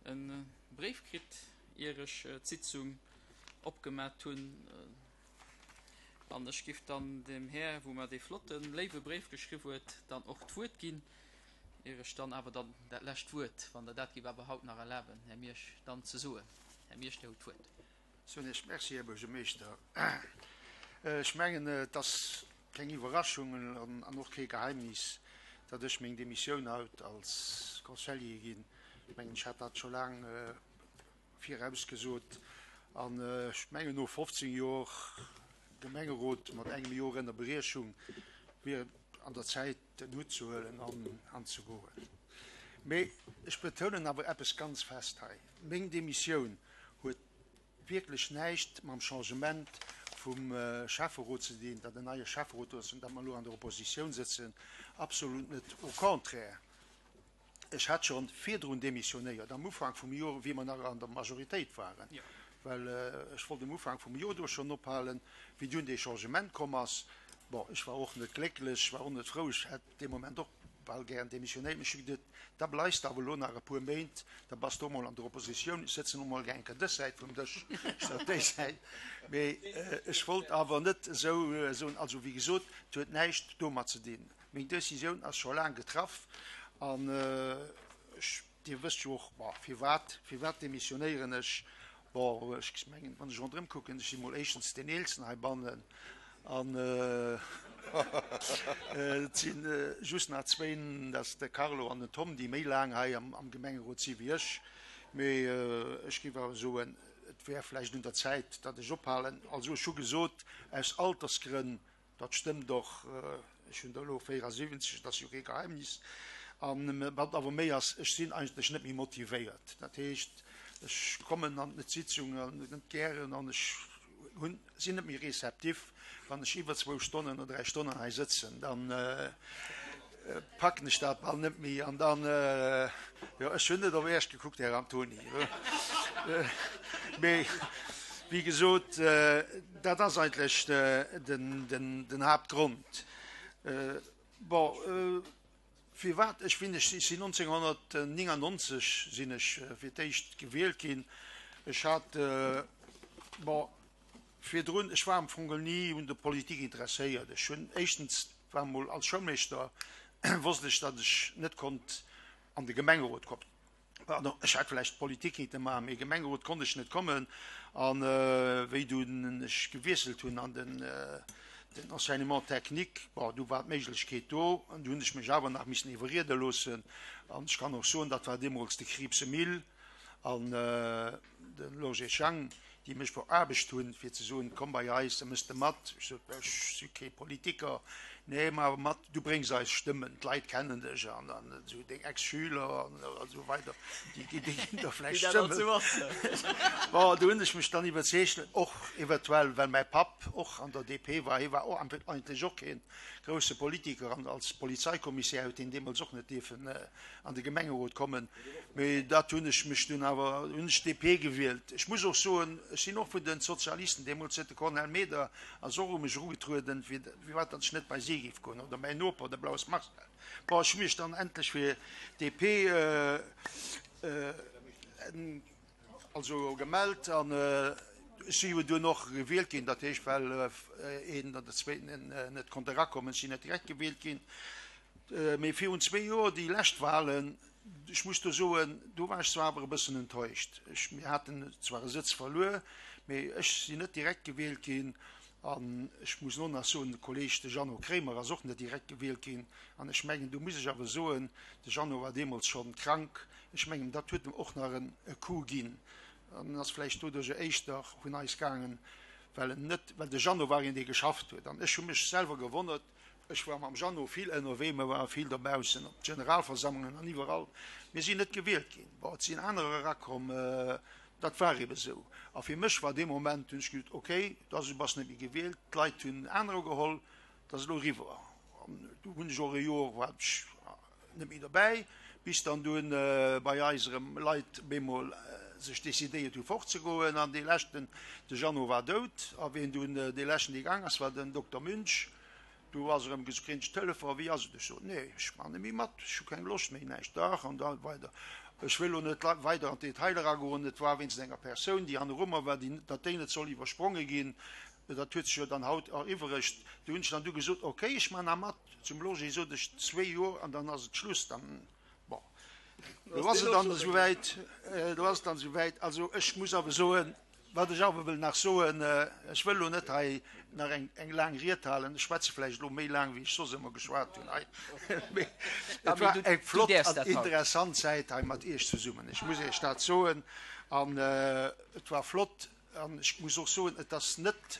E Bréif kritt, ier ech d'Sitzung opgemat hunn. An ech giff dann dem Här, wou mer dee flotten, léiwe Bréif geschriww huet, dann och d'Wuert ginn, ier ech dann awer dann dat lescht Wuert, wann Der dat giff awer haut nach erlaben, Här Miersch, dann ze soen. Här Miersch, Dir hutt d'Wuert. Soen Iech Merci, Här Buergermeeschter. Ech mengen, et ass keng Iwwerraschung an och kee Geheimnis, datt ech meng Demissioun haut als Conseiller ginn. Ech mengen, ech hat dat scho laang virausgesot an ech mengen, no 15 Jor Gemengerot mat engem Jor Ënnerbriechung wier et an der Zäit, den Hutt ze huelen an ze goen. Mee ech betounen awer eppes ganz fest hei, Meng Demissioun huet wierklech näischt mam Changement vum Schäfferot ze dinn, datt en neie Schäfferot do ass an datt mer elo an der Oppositioun sëtzen. Absolut net, au contraire. Ech hat scho virdrun demissionéiert, am Ufank vum Jor, wéi mer nach an der Majoritéit waren, well ech wollt um Ufank vum Jor do schonn ophalen, wéi dunn dee Changement komm ass. Bon, ech war och net glécklech, ech war och net frou, ech hätt dee Moment och bal gären demissionéiert, mee ech hu geduet, da bleifs de awer elo nach e puer Méint, da bass de och mol an der Oppositioun, ech sëtzen och mol gär eng Kéier dës Säit vum Dësch statt déi Säit. Mee ech wollt awer net esou soen, also wéi gesot, et huet näischt domat ze dinn. Meng Decisioun ass scho laang getraff an ech, Dir wësst jo och, bon, firwat, firwat demissionéieren ech? Bon, ech mengen, wann ech ronderëm kucken, ech si mol éischtens deen Eelsten heibannen an et si just nach zwéin, dat ass de Carlo an den Tom, déi méi laang hei am Gemengerot si wéi ech. Mee ech géif awer soen, et wär vläicht un der Zäit, datt ech ophalen. Also ech hu gesot, aus Altersgrënn Dat stëmmt och, ech hunn der elo 74, dat ass jo kee Geheimnis. An wat awer méi ass, ech sinn eigentlech net méi motivéiert. Dat heescht, ech kommen an d'Sitzungen net gären an ech hunn, sinn net méi réceptif. Wann ech iwwer zwou Stonnen oder dräi Stonnen hei sëtzen, dann packen ech dat bal net méi an dann, jo, ech hunn net op Iech gekuckt, Här Antoni, mee wéi gesot, dat ass eigentlech den Haaptgrond. Bon, firwat ech wien ech sinn, 1999 sinn ech fir d'éischt gewielt ginn. Ech hat, bon, Virdrun, ech war am Fong ni un der Politik interesséiert. Ech hunn éischtens, war mol als Schoulmeeschter, wosst ech, datt ech net konnt an de Gemengerot kommen. Pardon, ech hätt vläicht Politik kinnte maachen, mee Gemengerot konnt ech net kommen. An wéi dunn ech gewiesselt hunn an den den Enseignement technique, bon, du war d'Méiglechkeet do, an du hunn ech mech awer nach missen iwwerriede loossen. An ech kann och soen, dat war deemools de Krieps Emile an de Loger Schang, déi mech veraarbecht hunn, fir ze soen, Komm bei eis, da mëss de mat. Ech sot, Ech si kee Politiker. Nee, ma awer mat, du bréngs eis Stëmmen, d'Leit kennen dech an esou deng Ex-Schüler an esou weider, déi ginn der vläicht Stëmmen. Bon, do hunn ech mech dann iwwerzeegt, och eventuell, well mäi Papp och an der DP war, hie war och eigentlech och kee grousse Politiker an als Polizeikommissär huet hien deemools och net dierfen an de Gemengerot kommen, mee dat hunn ech mech dunn awer, hunn ech d'DP gewielt. Ech muss och soen, ech sinn och vun de Sozialisten, deemools huet de Cornel Meder ass och u mech erugetrueden, firwat datt ech net bei si géif goen, oder mäin Noper, de Blaus Marcel. Bon, ech hu mech dann endlech fir d'DP also gemellt an ech si jo dunn och gewielt ginn, dat heescht, well een oder zweeten net konnt erakommen, ech sinn net direkt gewielt ginn. Mee virun zwee Joer, déi lescht Wahlen, ech muss do soen, do war ech zwar awer e bëssen enttäuscht. Ech, mir haten zwar e Sëtz verluer, mee ech sinn net direkt gewielt ginn. An ech muss och nach soen, de Kolleeg, de Jeannot Kremer, ass och net direkt gewielt ginn. An ech mengen, do muss ech awer soen, de Jeannot war deemools schonn krank, ech mengen, dat huet em och nach e Coup ginn. An en ass vläicht doduercher éischter vun eis gaangen, well en net, well de Jeannot war een, dee geschafft huet. An ech hu mech selwer gewonnert, Ech war mam Jeannot vill ënnerwee, mir ware vill dobaussen op d'Generalversammlungen an iwwerall. Mir sinn net gewielt ginn. Bon, et sinn anerer erakomm, dat war ebe sou. A fir mech war dee Moment, hunn ech gesot, okay, da du bass net méi gewielt, d'Leit hunn anerer geholl, dat ass elo eriwwer. An du hunn ech och e Joer, war ech net méi dobäi, bis dann dunn bei eis erëm Leit op eemol sech decidéiert hu fortzegoen. An dee leschten, de Jeannot war dout, a wien dunn dee leschten, dee gaang ass, war den Dokter Münch. Du ass erëm gesot, Kréint ech Telefon, wéi ass et? Ech sot, Nee, ech maachen net méi mat, ech hu keng Loscht méi, näischt, dach an da weider. Ech wëll elo net weider an d'Detailer agoen. Et war wéinst enger Persoun, déi hanneru mer war, déi, datt déi net soll iwwerspronge ginn. Dat huet sech jo dann haut eriwweregt. Do hunn ech dann du gesot, okay, ech man nach mat. Zum Logé sot ech zwéi Joer an dann ass et Schluss. Dann, bon, elo ass et dann esouwäit, elo ass et dann esouwäit. Also ech muss awer soen, Wat ech awer wëll nach soen, ech wëll elo net hei nach eng, eng laang Ried halen, ech schwätze vläicht elo méi laang, wéi ech soss ëmmer geschwat hunn hei, mee et war eng flott an interessant Zäit hei mat Iech zesummen, ech muss Iech dat soen. An et war flott an ech muss och soen, et ass net,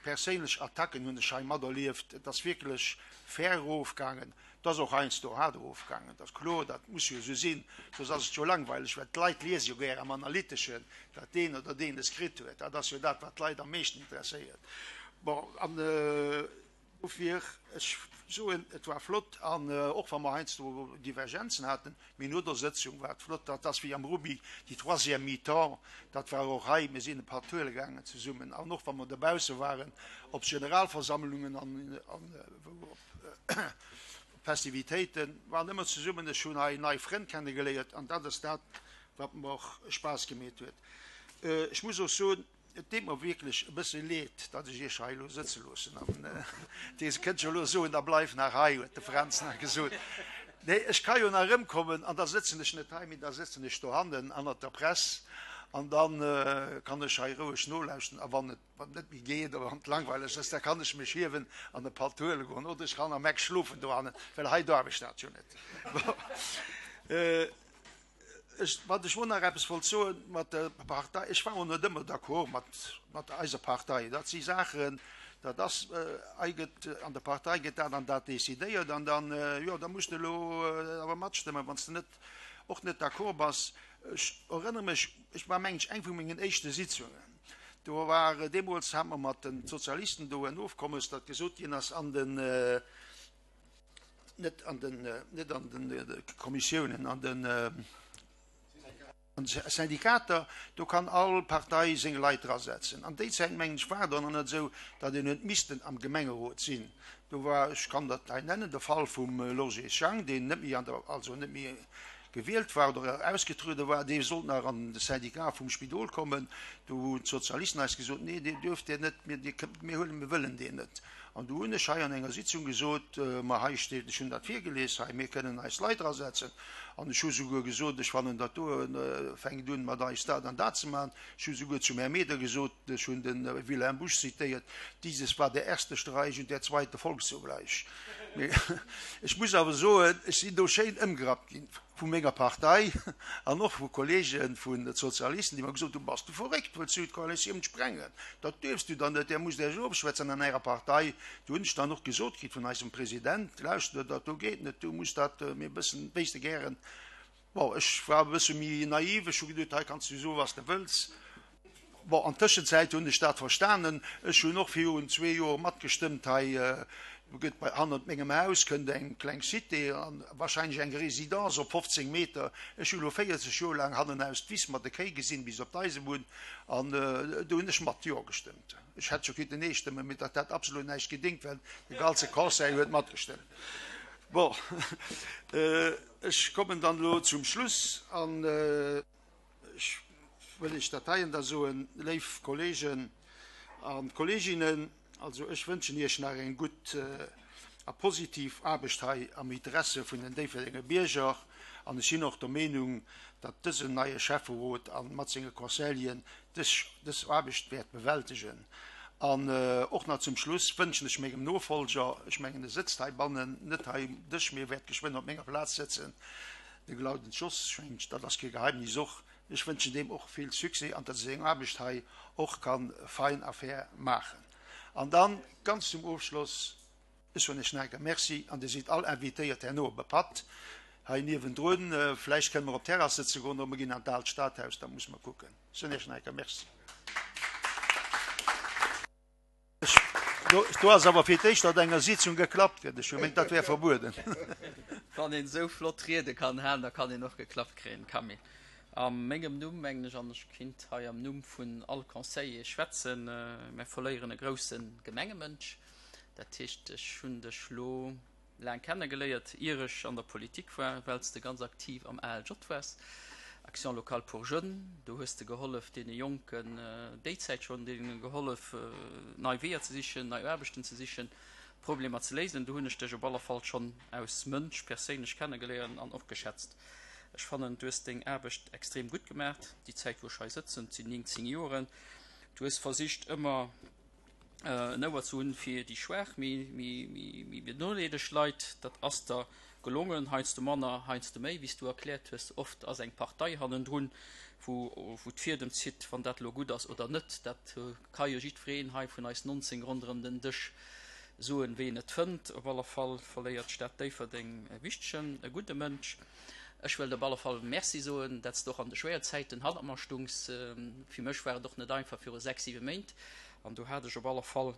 Perséinlech Attacken hunn ech hei materlieft. Et ass wierklech fair erofgaangen. Et ass och heiansdo haart erofgaangen, dat ass kloer, dat muss jo esou sinn, soss ass et jo langweileg, well d'Leit liese jo gär am Analyteschen, wat deen oder deen es kritt huet. Dat ass jo dat, wat d'Leit am meeschten interesséiert. Bon, an dofir, ech soen, et war flott, an och wa mer heiansdo Divergenzen haten, Mee no der Sëtzung war et flott. Dat ass wéi am Rugby, déi troisième mi-temps, dat war och hei. Mir sinn e Patt huele gaangen zesummen. An och wa mer dobausse waren op Generalversammlungen an wou op Festivitéiten, waren ëmmer zesummen. Ech hunn hei nei Frënn kennegeléiert an dat ass dat, wat mer och Spaass gemeet huet. Ech muss och soen, Et deet mer wierklech e bësse leed, datt ech Iech hei elo sëtze loossen. An Dir kënnt jo elo soen, da bleif nach hei, huet de Fränz nach gesot. Nee, ech ka jo nach erëmkommen an da sëtzen ech net hei, mee da sëtzen ech dohannen hannert der Press an da kann ech hei roueg nolauschten. A wann et net méi geet oder wann et langweileg ass, da kann ech mech hiewen an e Patt huele goen oder ech kann am Eck schlofen dohannen, well hei darf ech dat jo net. Bon. Ech, wat ech elo nach eppes wollt soen, mat der Partei, ech war och net ëmmer d'accord mat, mat eiser Partei. Dat si Saachen, dat ass, hei gëtt, an der Partei gëtt dat an dat decidéiert an dann, jo, da muss de elo awer matstëmmen, wann s de net, och net d'accord bass. Ech erënnere mech, ech war, mengen ech, eng vu mengen éischte Sitzungen, do war, deemools hate mer mat den Sozialisten do en Ofkommes, datt gesot ginn ass, an den, net an den, net an den Kommissiounen, an den Syndikater, do kann all Partei seng Leit drasetzen. An déi Zäit, mengen ech, war et och nach net esou, datt een huet missten am Gemengerot sinn. Do war, ech kann dat hei nennen, de Fall vum Lorgé Schang, deen net méi an der, also net méi gewielt war oder ausgetruede war, dee sollt nach an de Syndicat vum Spidol kommen. Do hunn d'Sozialisten eis gesot, Nee, deen duerft Dir net, mir, dir kënnt, mir huelen, mir wëllen deen net. An du hunn ech hei an enger Sitzung gesot, ma hei steet, ech hunn dat virgelies hei, mir kënnen eis Leit erasetzen. An ech hu souguer gesot, ech fannen dat do fänkt un mat eis dat an dat ze maachen. Ech hu souguer zum Här Meder gesot, ech hunn de Wilhelm Busch zitéiert, Dieses war der erste Streich und der zweite folgt sogleich. Mee ech muss awer soen, ech sinn do schéin ëmgerappt ginn vu menger Partei an och vu Kollege vun de Sozialisten, déi mer gesot hunn, Bass du verréckt, wëlls du d'Koalitioun sprengen? Dat duerfs du dann net, där musst Iech ofschwätzen an Ärer Partei. Do hunn ech dann och gesot kritt vun eisem President, Lauschter, dat do geet net, du muss dat mir e bëssen, wéi s de gären Bon, ech war e bësse méi naiv, ech hu geduet, hei kanns du soen, wat s de wëlls. Bon, an Tëschenzäit hunn ech dat verstanen. Ech hunn och virun zwee Joer matgestëmmt hei, do gëtt bei hannert mengem Haus kënnt eng kleng Cité an wahrscheinlech eng Résidence op 15 Meter. Ech hu lo 40 Joer laang hannenaus d'Wiss mat de Kéi gesinn bis op d'Eisebunn an do hunn ech mat Jo gestëmmt. Ech hätt scho kinnten Nee stëmmen, mee dat hätt absolut näischt gedéngt, well de ganze Conseil huet matgestëmmt. Bon, ech kommen dann elo zum Schluss an. Ech wëll Iech dat heien da soen, léif Kollegen a Kolleginnen, also ech wënschen Iech nach eng gutt a positiv Aarbecht hei am Interesse vun den Déifferdenger Bierger. An ech sinn och der Meenung, datt dësen neie Schäfferot a mat senge Conseilleren dës dës Aarbecht wäert bewältegen. An och nach zum Schluss wënschen ech mengem Nofolger, ech mengen e sëtzt heibannen, net hei um Dësch, mee e wäert geschwënn op menger Plaz sëtzen, De Glauden Jos, ech mengen, dat ass kee Geheimnis och, ech wënschen deem och vill Succès an datt e seng Aarbecht hei och ka fein a fair maachen. An dann ganz zum Ofschloss, ech soen Iech nach eng Kéier Merci an Dir sidd all invitéiert herno op e Patt hei niewendrun. Vläicht kënne mer op d'Terrass sëtze goen oder mer ginn an d'Aalt Stadhaus, dat musse mer kucken. Ech soen Iech nach eng Kéier Merci. Do ass awer fir d'éischt at enger Sitzung geklappt gëtt. Ech hu gemengt, dat wär verbueden. Wann een esou flott Riede kann halen, da kann een och geklappt kréien, Camille. A mengem Numm, mengen ech, an ech kinnt hei am Numm vun all Conseiller schwätzen, mär verléieren e grousse Gemengemënsch. Dat heescht, ech hunn dech lo laang kennegeléiert, ier ech an der Politik war, well s de ganz aktiv am ALJ waars. Action locale pour jeunes, do hues de gehollef deene Jonken déi Zäit schonn, deene gehollef nei Weeër ze sichen, nei Aarbechten ze sichen, Problemer ze léisen. Do hunn ech dech op alle Fall schonn aus Mënsch perséinlech kennegeléiert an och geschätzt. Ech fannen, du hues deng Aarbecht extrem gutt gemaach, déi Zäit wou ech hei sëtzen, et sinn 19 Joren. Du hues versicht ëmmer en Ouer ze hunn fir déi schwaach, méi benodeelegt Leit. Dat ass der gelongen, heiansdo manner, heiansdo méi, wéi s du erkläert hues. Oft ass eng Partei hannendrun, wou d'Fiedem zitt, wann dat elo gutt ass oder net. Dat ka jo jiddwereen hei vun eis 19 ronderëm den Dësch soen, wéi en et fënnt. Op alle Fall verléiert d'Stad Déifferdeng e wichtegen, e gudde Mënsch. Ech wëllt op alle Fall Merci soen, dat s de och an de schwéier Zäiten hannert mer stungs. Fir mech war et och net einfach viru 6, 7 Méint an do hat ech op alle Fall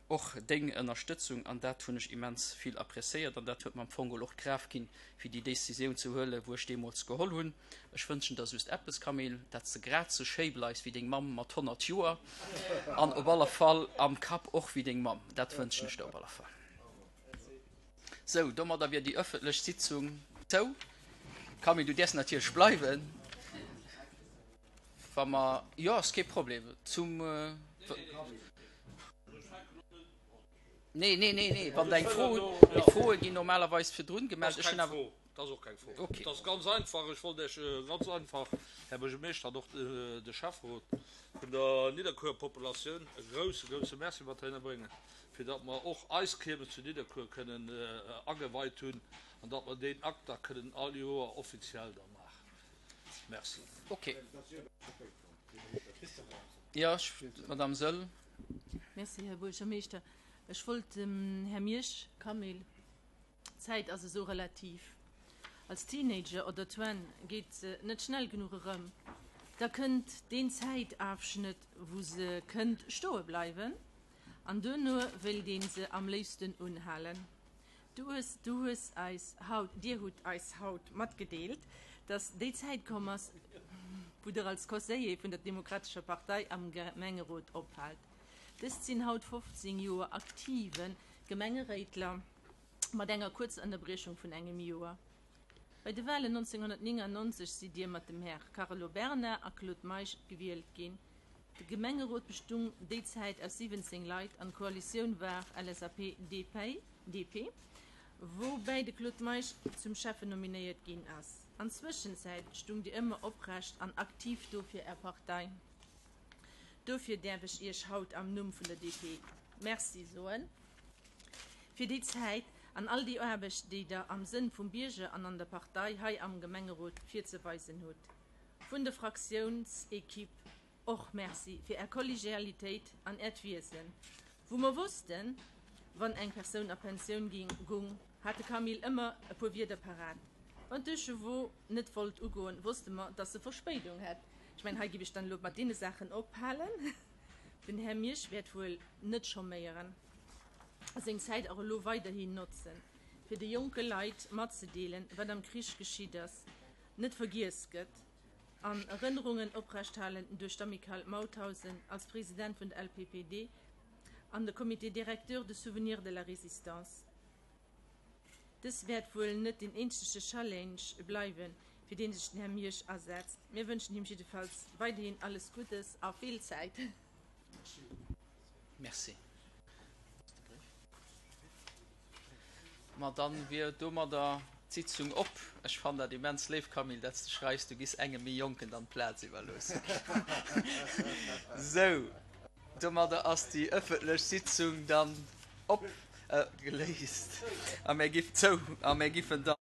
och deng Ënnerstëtzung an dat hunn ech immens vill appréciéiert an dat huet mer am Fong geholl och d'Kraaft ginn, fir déi Décisioun ze huelen, wou ech deemools geholl hunn. Ech wënschen der just eppes, Camille, dat s de grad sou schéi bleifs wéi deng Mamm mat 100 Joer an op alle Fall am Kapp och wéi deng Mamm. Dat wënschen ech der op alle Fall. Sou, domadder wier déi ëffentlech Sitzung zou. Camille, du däerfs natierlech bleiwen, wa mer, jo, ass kee Problem, zum, nee, nee, nee, nee, wann Der eng Fro hutt, déi Froe ginn normalerweis virdrun gemellt. Ech hunn awer. Dat ass och keng Fro. Okay. Dat ass ganz einfach. Ech wollt Iech ganz einfach, Här Buergermeeschter, an och de Schäfferot vun der Nidderkuerer Populatioun e grouse, grouse Merci mat heihinner bréngen, fir datt mer och eis Kiermes zu Nidderkuer kënnen ageweit hunn an datt mer deen Akt da kënnen all Joer offiziell da maachen. Merci. Okay. Jo, d'Madame Soll. Merci, Här Buergermeeschter. Ech wollt dem Här Miersch, Camille, D'Zäit ass esou relativ. Als Teenager oder Twenn geet se net schnell genuch erëm. Da kënnt deen Zäitafschnëtt, wou se kënnt stoe bleiwen, an duerno wéilt een se am léifsten unhalen. Du hues, du hues eis haut, dir hutt eis haut matgedeelt, dass déi Zäit komm ass, wou der als Conseiller vun der Demokratescher Partei am Gemengerot ophaalt. Dëst sinn haut 15 Joer aktive Gemengeréitler. mat enger kuerzer Ënnerbriechung vun engem Joer. Bei de Walen 1999 sidd Dir mat dem Här Carlo Berna a Claude Meisch gewielt ginn. De Gemengerot bestung déi Zäit aus 17 Leit an d'Koalitioun war LSAP-DP, DP, woubäi de Claude Meisch zum Schäffen nominéiert ginn ass. An Zwëschenzäit stung Dir ëmmer oprecht an aktiv do fir Är Partei. Dofir däerf ech Iech haut am Numm vun der DP Merci soen. Fir déi Zäit an all déi Aarbecht, déi Der am Sënn vum Bierger an an der Partei hei am Gemengerot virzeweisen hutt. Vun der Fraktiounsequipe och Merci fir Är Kollegialitéit an Äert Wiesen. Wou mer wossten, wann eng Persoun a Pensioun ging gung, hat de Camille ëmmer e puer Wierder parat. Wann d'Deuchevaux net wollt ugoen, wosste mer, dass se Verspéidung hätt. Ech mengen, hei giff ech dann elo mat deene Saachen ophalen. Den Här Miersch wäert wuel net chôméieren a seng Zäit och elo weiderhin notzen, fir de jonke Leit matzedeelen, wat am Krich geschitt ass, net vergiess gëtt an Erënnerungen oprechthalen duerch d'Amicale Mauthausen als President vun der LPPD an de Comité directeur de souvenir de la Résistance. Dës wäert wuel net deen eenzege Challenge bleiwen, fir deen sech den Här Miersch asetzt. Mir wënschen him jiddefalls weiderhin alles Guddes a vill Zäit. Merci. Ma dann wier domadder d'Sitzung op. Ech fannen dat immens léif, Camille, dat s de schreifs, du giss engem méi Jonken dann d'Plaz iwwerloossen. Sou, domadder ass déi ëffentlech Sitzung dann op, geléist a mir giff zou a mir giffen dann.